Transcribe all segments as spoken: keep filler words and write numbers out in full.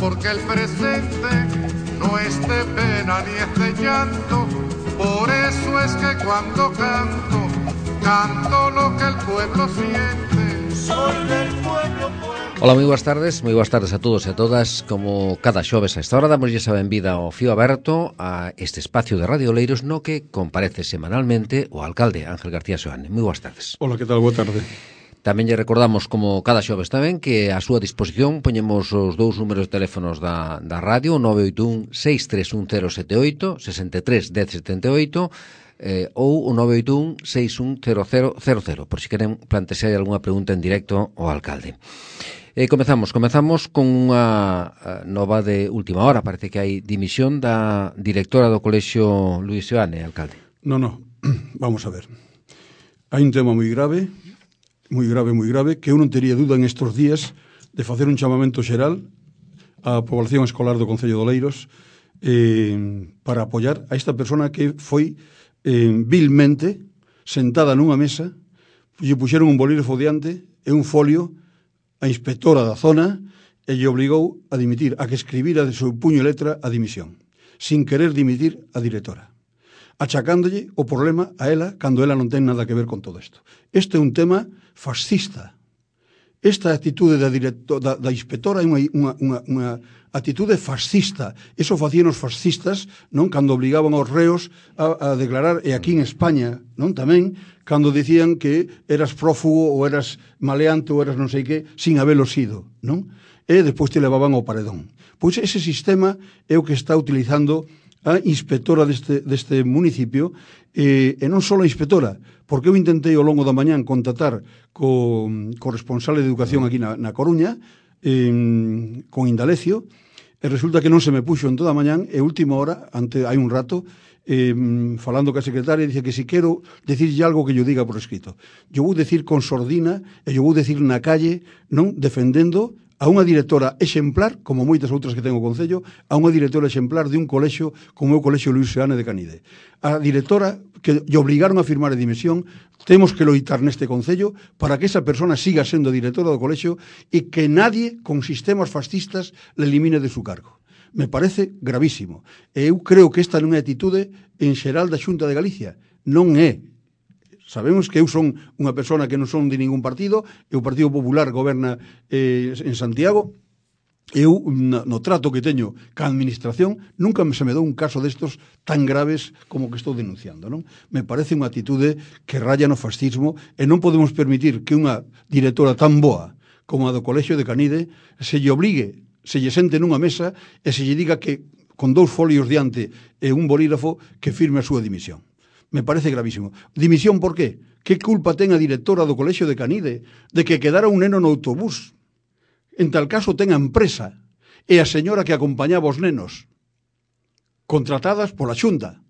porque el presente no es de pena ni es de llanto. Por eso es que cuando canto, canto lo que el pueblo siente. Soy del pueblo, pueblo. Ola, moi boas tardes, moi boas tardes a todos e a todas. Como cada xoves a esta hora damos esa benvida ao Fío Aberto, a este espacio de Radio Oleiros no que comparece semanalmente o alcalde Ángel García Seoane. Moi boas tardes. Ola, que tal? Boa tarde. Tamén lle recordamos, como cada xoves tamén, que a súa disposición poñemos os dous números de teléfonos da, da radio, nove oito un, seis tres un cero sete oito, sesenta e tres, dez setenta e oito, eh, ou o nove oito un, seis un cero cero cero cero, por si queren plantear algunha pregunta en directo ao alcalde. Eh, comezamos, comezamos con unha nova de última hora. Parece que hai dimisión da directora do Colexio Luís Seoane, alcalde. No, no, vamos a ver. Hai un tema moi grave, moi grave, moi grave, que eu non tería duda en estes días de facer un chamamento xeral á población escolar do Concello de Oleiros eh, para apoiar a esta persona que foi eh, vilmente sentada nunha mesa, lle puxeron un bolígrafo diante e un folio a inspectora da zona e lle obligou a dimitir, a que escribira de seu puño e letra a dimisión, sin querer dimitir a directora, achacándolle o problema a ela cando ela non ten nada que ver con todo isto. Este é un tema fascista. Esta actitude da, director, da, da inspectora é unha, unha, unha, unha actitude fascista. Eso facían os fascistas, non, cando obligaban aos reos a, a declarar, e aquí en España, non, tamén, cando dicían que eras prófugo ou eras maleante ou eras non sei que, sin habelo sido, non? E despois te levaban ao paredón. Pois ese sistema é o que está utilizando a inspectora deste, deste municipio, e, e non só a inspectora, porque eu intentei ao longo da mañán contactar co, co responsable de educación aquí na, na Coruña, eh, con Indalecio, e resulta que non se me puxo en toda a mañán, e última hora, ante, hai un rato, eh, falando ca secretaria, dice que si quero decirlle algo que yo diga por escrito. Yo vou decir con sordina, e yo vou decir na calle, non, defendendo a unha directora exemplar, como moitas outras que ten o Concello, a unha directora exemplar de un colexio como é o Colexio Luís Seoane de Canide. A directora que lle obligaron a firmar a dimisión, temos que loitar neste Concello para que esa persona siga sendo directora do colexio e que nadie con sistemas fascistas le elimine de su cargo. Me parece gravísimo. E eu creo que esta non é atitude en xeral da Xunta de Galicia. Non é. Sabemos que eu son unha persona que non son de ningún partido, e o Partido Popular goberna eh, en Santiago. Eu, no, no trato que teño ca administración, nunca se me dou un caso destos tan graves como que estou denunciando, non? Me parece unha actitude que raya no fascismo, e non podemos permitir que unha directora tan boa como a do Colexio de Canide se lle obligue, se lle sente nunha mesa e se lle diga que con dous folios diante e un bolígrafo que firme a súa dimisión. Me parece gravísimo. Dimisión por qué? Que culpa ten a directora do Colexio de Canide de que quedara un neno no autobús? En tal caso ten a empresa e a señora que acompañaba os nenos, contratadas pola Xunta.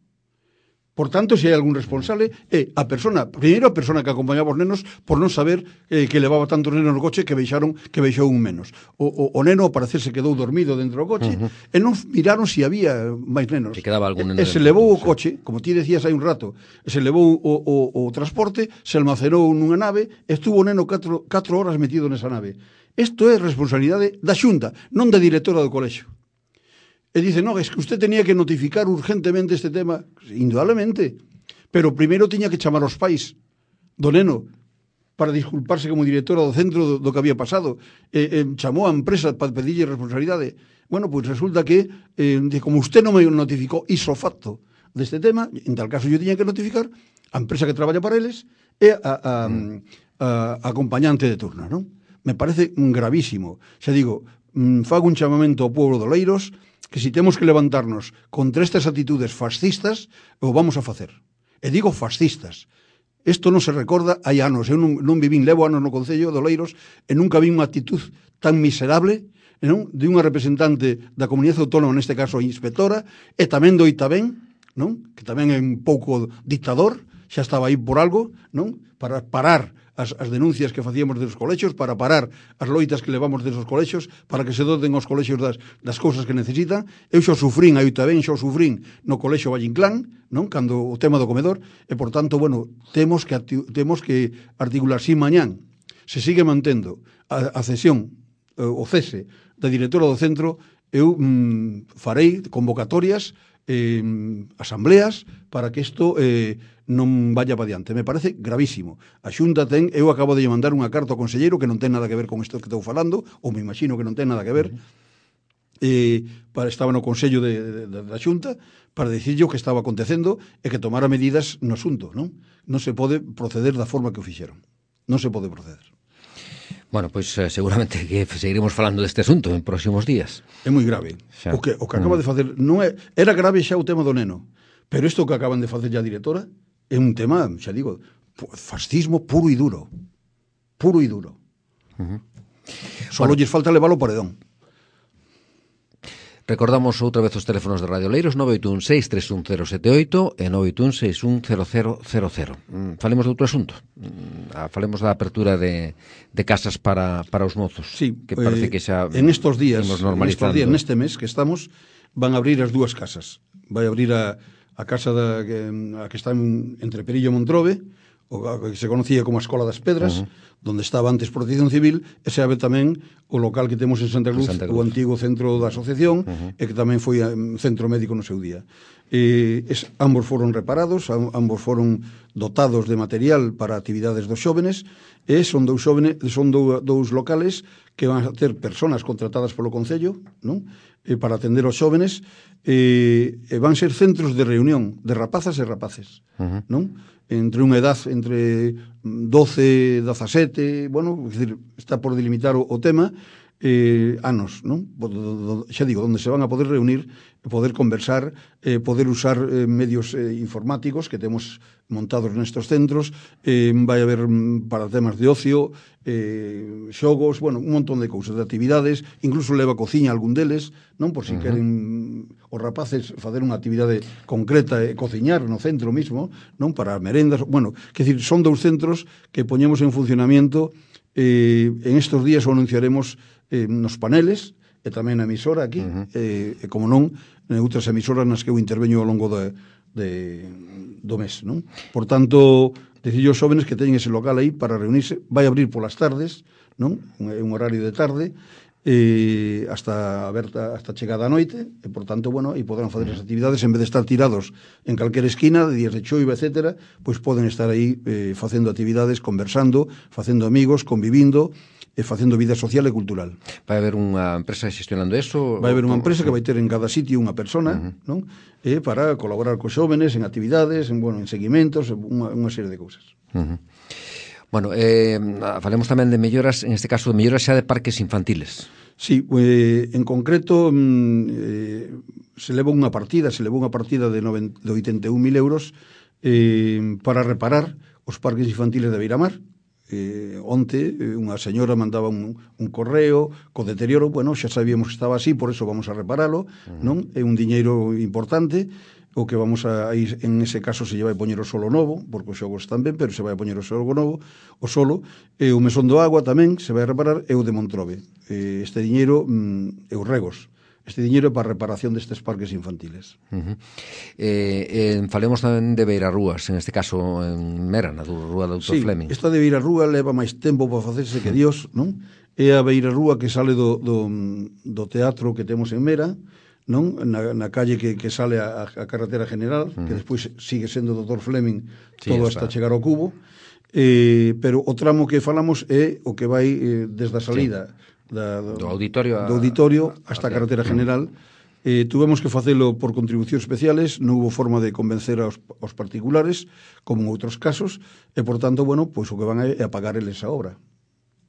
Por tanto, se hai algún responsable, é a persona, primeiro a persona que acompañaba os nenos por non saber eh, que levaba tantos nenos no coche que veixaron que veixou un menos. O, o, o neno, ao parecer, se quedou dormido dentro do coche, uh-huh. e non miraron se si había máis nenos. Se quedaba algún neno. E, e se levou o coche, como ti decías hai un rato, se levou o, o, o transporte, se almacenou nunha nave, e estuvo o neno catro, catro horas metido nesa nave. Isto é responsabilidade da Xunta, non da directora do colexio. E dice, no, es que usted tenía que notificar urgentemente este tema. Indudablemente. Pero primeiro tiña que chamar aos pais do neno para disculparse como directora do centro do, do que había pasado. E, e chamou a empresa para pedirlle responsabilidade. Bueno, pois pues resulta que, eh, como usted non me notificou iso facto deste tema, en tal caso yo tiña que notificar a empresa que traballa para eles e a, a, a, a acompañante de turno, non? Me parece gravísimo. Xa digo, fago un chamamento ao povo de Oleiros que si temos que levantarnos contra estas actitudes fascistas, o vamos a facer. E digo fascistas. Isto non se recorda hai anos. Eu non, non vivín, levo anos no Concello de Oleiros e nunca vi unha actitud tan miserable, non, de unha representante da comunidade autónoma, neste caso a inspectora, e tamén do Itabén, non, que tamén é un pouco dictador, xa estaba aí por algo, non, para parar As, as denuncias que facíamos dos colexios, para parar as loitas que levamos desos colexios, para que se doten os colexios das, das cousas que necesitan. Eu xo sufrín, aí tamén xo sufrín no colexio Vallinclán, non? Cando o tema do comedor, e por tanto, bueno, temos que, temos que articular. Si mañán se sigue mantendo a, a cesión, o cese da directora do centro, eu mm, farei convocatorias, eh, asambleas, para que isto eh, non vaya para diante. Me parece gravísimo. A Xunta ten, eu acabo de mandar unha carta ao conselleiro que non ten nada que ver con isto que estou falando, ou me imagino que non ten nada que ver, eh, para, estaba no Consello de, de, da Xunta, para dicirlle o que estaba acontecendo e que tomara medidas no asunto, non? Non se pode proceder da forma que o fixeron. Non se pode proceder. Bueno, pois pues, eh, seguramente que seguiremos falando deste asunto en próximos días. É moi grave. Xa. O que, o que acaba mm. de facer non é, era grave xa o tema do neno, pero isto que acaban de facer ya a directora é un tema, xa digo, fascismo puro e duro. Puro e duro. Uh -huh. Solo bueno. lles falta levar o paredón. Recordamos outra vez os teléfonos de Radio Oleiros, nove oito un seis tres un cero sete oito e nove oito un seis un cero cero cero cero. Falemos de outro asunto. Falemos da apertura de, de casas para, para os mozos. Sí, que parece eh, que xa en estos días, en estos días, neste mes que estamos, van a abrir as dúas casas. Vai abrir a, a casa da, que, a que está en, entre Perillo e Montrobe, o que se conocía como a Escola das Pedras, uh -huh. donde estaba antes Protección Civil, e se abre tamén o local que temos en Santa Cruz, Santa Cruz. O antigo centro da asociación, uh -huh. e que tamén foi um, centro médico no seu día. Eh, es, ambos foron reparados, ambos foron dotados de material para actividades dos xóvenes, e son dous xóvenes, son dou, dous locales que van a ter personas contratadas polo Concello, non? E para atender aos xóvenes, e, e van ser centros de reunión de rapazas e rapaces, uh -huh. non? Entre unha edad entre doce, dezasete, bueno, é dicir, está por delimitar o, o tema, eh, anos, non? Xa digo, onde se van a poder reunir, poder conversar, eh, poder usar eh, medios eh, informáticos que temos montados nestes centros, eh, vai haber para temas de ocio, eh, xogos, bueno, un montón de cousas, de actividades, incluso leva cociña algún deles, non? Por si uh -huh. queren os rapaces facer unha actividade concreta e cociñar no centro mismo, non? Para merendas, bueno, que decir, son dous centros que poñemos en funcionamiento, eh, en estes días o anunciaremos eh, nos paneles, e tamén a emisora aquí, uh -huh. eh, e como non, en outras emisoras nas que eu interveño ao longo de, de, do mes, non? Por tanto, decir os xóvenes que teñen ese local aí para reunirse, vai abrir polas tardes, non? Un, un horario de tarde, eh, hasta aberta, hasta chegada a noite, e por tanto, bueno, aí poderán fazer as actividades, en vez de estar tirados en calquera esquina, de días de choiva, etcétera, pois poden estar aí eh, facendo actividades, conversando, facendo amigos, convivindo, e facendo vida social e cultural. Vai haber unha empresa gestionando eso? Vai haber unha empresa que vai ter en cada sitio unha persona, uh -huh. non? E para colaborar cos xóvenes en actividades, en, bueno, en seguimentos, unha, unha serie de cousas. Uh -huh. Bueno, eh, falemos tamén de melloras, en este caso de melloras xa de parques infantiles. Sí, eh, en concreto eh, se leva unha partida, se leva unha partida de, de oitenta e un mil euros eh, para reparar os parques infantiles de Beiramar. Eh, onte unha señora mandaba un, un correo co deterioro, bueno, xa sabíamos que estaba así, por eso vamos a reparalo, uh-huh. non? É un diñeiro importante, o que vamos a ir, en ese caso se lle vai poñer o solo novo, porque os xogos están ben, pero se vai a poñer o solo novo, o solo, e o mesón do agua tamén se vai a reparar, e o de Montrobe. Eh, este diñeiro mm, e os regos. Este diñeiro é para a reparación destes parques infantiles. Uh -huh. eh, eh, falemos tamén de Beirarrúas, en este caso en Mera, na Rúa do doutor Sí, Fleming. Esta de Beirarrúa leva máis tempo para facerse que Dios, non? É a Beirarrúa que sale do, do, do teatro que temos en Mera, non? Na, na calle que, que sale a, a carretera general, uh -huh. que despois sigue sendo doutor Fleming, sí, todo hasta chegar ao cubo, eh, pero o tramo que falamos é o que vai eh, desde a salida... Sí. Da, do, do auditorio, a, do auditorio hasta a carretera general. Eh, tuvemos que facelo por contribucións especiales, non hubo forma de convencer aos, aos particulares, como en outros casos, e, por tanto, bueno, pois o que van é a pagar eles a obra.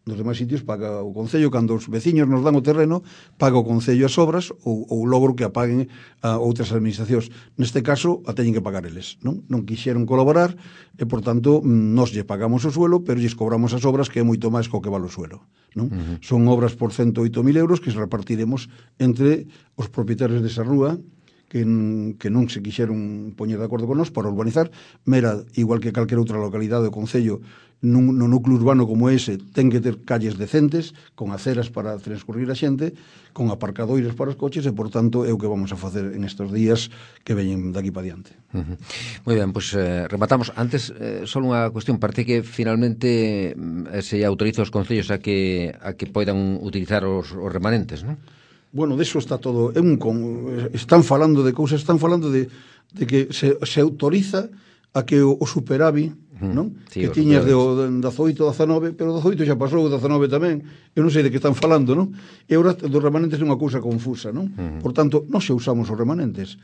Nos demais sitios paga o Concello, cando os veciños nos dan o terreno, paga o Concello as obras ou, ou logro que apaguen a outras administracións. Neste caso, a teñen que pagar eles, non? Non quixeron colaborar e, por tanto, nos lle pagamos o suelo, pero lles cobramos as obras, que é moito máis co que vale o suelo, non? Uh -huh. Son obras por ciento oito mil euros que se repartiremos entre os propietarios desa rúa, que, que non se quixeron poñer de acordo con nós para urbanizar. Mera, igual que calquera outra localidade do Concello, nun, no núcleo urbano como ese, ten que ter calles decentes, con aceras para transcurrir a xente, con aparcadoiros para os coches, e, por tanto, é o que vamos a facer en estes días que veñen daqui para diante. Uh -huh. Moi ben, pois pues, eh, rematamos. Antes, eh, só unha cuestión, parece que finalmente eh, se autoriza os concellos a que a que poidan utilizar os, os remanentes, non? Bueno, deso está todo, é un con, están falando de cousas, están falando de, de que se, se autoriza a que o, o superavi, uh-huh. non? Sí, que tiñas de, de dezoito, dezanove, pero dezoito xa pasou, dezanove tamén, eu non sei de que están falando, non? E agora dos remanentes é unha cousa confusa, non? Uh-huh. Por tanto, non se usamos os remanentes.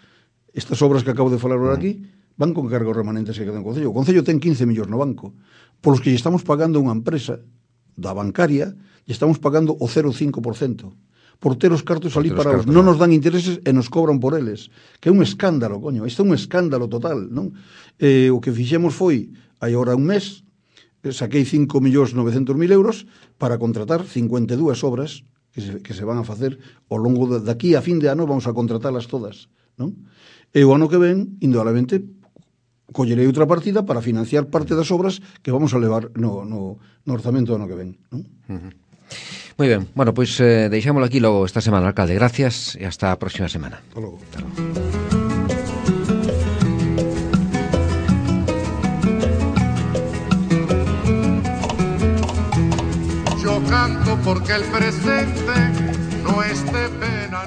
Estas obras que acabo de falar agora uh-huh. aquí van con cargo os remanentes que quedan no Concello. O Concello ten quince millóns no banco, polos que lle estamos pagando unha empresa da bancaria, lle estamos pagando o cero coma cinco por cento. Por ter os cartos ali parados, non nos dan intereses e nos cobran por eles, que é un escándalo, coño, isto é un escándalo total, non? Eh, o que fixemos foi, hai agora un mes, saquei cinco millóns novecientos mil euros para contratar cincuenta e dúas obras que se, que se van a facer ao longo de, daqui a fin de ano, vamos a contratalas todas, non? E o ano que ven, indudablemente, collerei outra partida para financiar parte das obras que vamos a levar no, no, no orzamento do ano que ven, non? Uh-huh. Moi ben, bueno, pois eh, deixámoslo aquí logo esta semana, alcalde. Gracias e hasta a próxima semana. Hasta logo. Hasta logo. Yo canto porque el presente no esté pena.